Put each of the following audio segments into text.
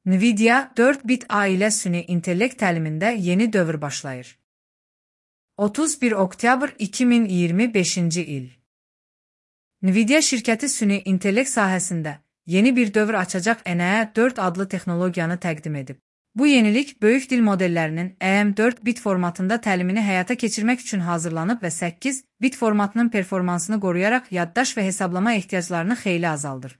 NVIDIA 4 bit A ilə süni intellekt təlimində yeni dövr başlayır. 31 oktyabr 2025-ci il. NVIDIA şirkəti süni intellekt sahəsində yeni bir dövr açacaq NVIDIA 4 adlı texnologiyanı təqdim edib. Bu yenilik böyük dil modellərinin AM4 bit formatında təlimini həyata keçirmək üçün hazırlanıb və 8 bit formatının performansını qoruyaraq yaddaş və hesablama ehtiyaclarını xeyli azaldır.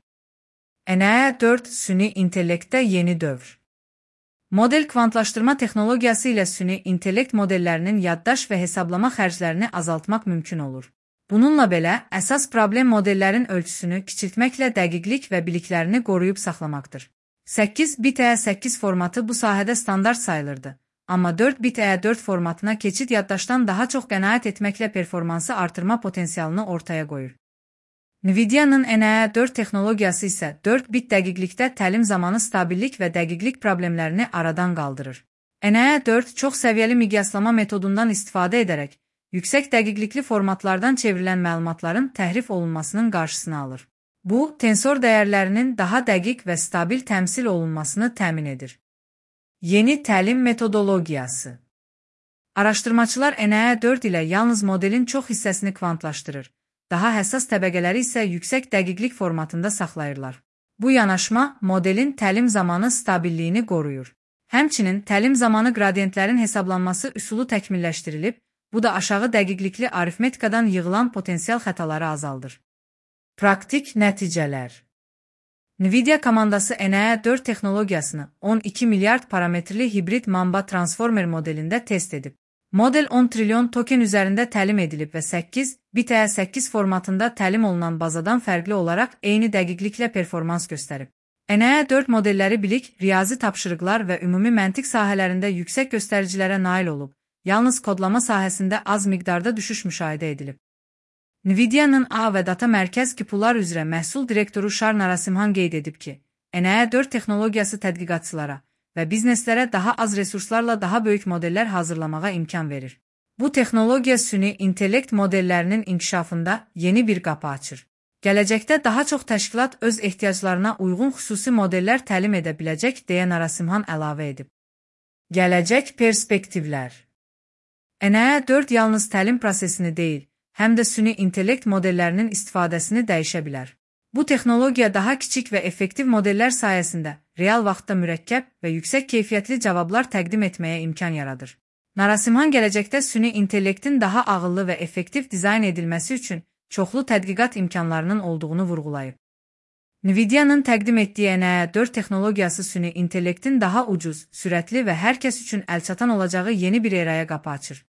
NVIDIA 4 süni intellektdə yeni dövr. Model kvantlaşdırma texnologiyası ilə süni intellekt modellərinin yaddaş və hesablama xərclərini azaltmaq mümkün olur. Bununla belə, əsas problem modellərin ölçüsünü kiçiltməklə dəqiqlik və biliklərini qoruyub saxlamaqdır. 8 bit E8 formatı bu sahədə standart sayılırdı, amma 4 bit E4 formatına keçid yaddaşdan daha çox qənaət etməklə performansı artırma potensialını ortaya qoyur. NVIDIA-nın NVIDIA 4 texnologiyası isə 4 bit dəqiqlikdə təlim zamanı stabillik və dəqiqlik problemlərini aradan qaldırır. NVIDIA 4 çox səviyyəli miqyaslama metodundan istifadə edərək, yüksək dəqiqlikli formatlardan çevrilən məlumatların təhrif olunmasının qarşısını alır. Bu, tensor dəyərlərinin daha dəqiq və stabil təmsil olunmasını təmin edir. Yeni təlim metodologiyası. Araşdırmaçılar NVIDIA 4 ilə yalnız modelin çox hissəsini kvantlaşdırır. Daha həssas təbəqələri isə yüksək dəqiqlik formatında saxlayırlar. Bu yanaşma modelin təlim zamanı stabilliyini qoruyur. Həmçinin təlim zamanı qradiyentlərin hesablanması üsulu təkmilləşdirilib, bu da aşağı dəqiqlikli arifmetikadan yığılan potensial xətaları azaldır. Praktik nəticələr. NVIDIA komandası NVIDIA 4 texnologiyasını 12 milyard parametrli hibrid Mamba transformer modelində test edib. Model 10 trilyon token üzərində təlim edilib və 8 bit E8 formatında təlim olunan bazadan fərqli olaraq eyni dəqiqliklə performans göstərib. NVIDIA 4 modelləri bilik, riyazi tapşırıqlar və ümumi məntiq sahələrində yüksək göstəricilərə nail olub, yalnız kodlama sahəsində az miqdarda düşüş müşahidə edilib. NVIDIA-nın A və Data Mərkəz QPU'lar üzrə məhsul direktoru Shar Narasimhan qeyd edib ki, NVIDIA 4 texnologiyası tədqiqatçılara və bizneslərə daha az resurslarla daha böyük modellər hazırlamağa imkan verir. Bu texnologiya süni intellekt modellərinin inkişafında yeni bir qapı açır. Gələcəkdə daha çox təşkilat öz ehtiyaclarına uyğun xüsusi modellər təlim edə biləcək, deyə Narasimhan əlavə edib. Gələcək perspektivlər. NVIDIA 4 yalnız təlim prosesini deyil, həm də süni intellekt modellərinin istifadəsini dəyişə bilər. Bu texnologiya daha kiçik və effektiv modellər sayəsində real vaxtda mürəkkəb və yüksək keyfiyyətli cavablar təqdim etməyə imkan yaradır. Narasimhan gələcəkdə süni intellektin daha ağıllı və effektiv dizayn edilməsi üçün çoxlu tədqiqat imkanlarının olduğunu vurğulayıb. NVIDIA-nın təqdim etdiyi NVIDIA 4 texnologiyası süni intellektin daha ucuz, sürətli və hər kəs üçün əlçatan olacağı yeni bir eraya qapı açır.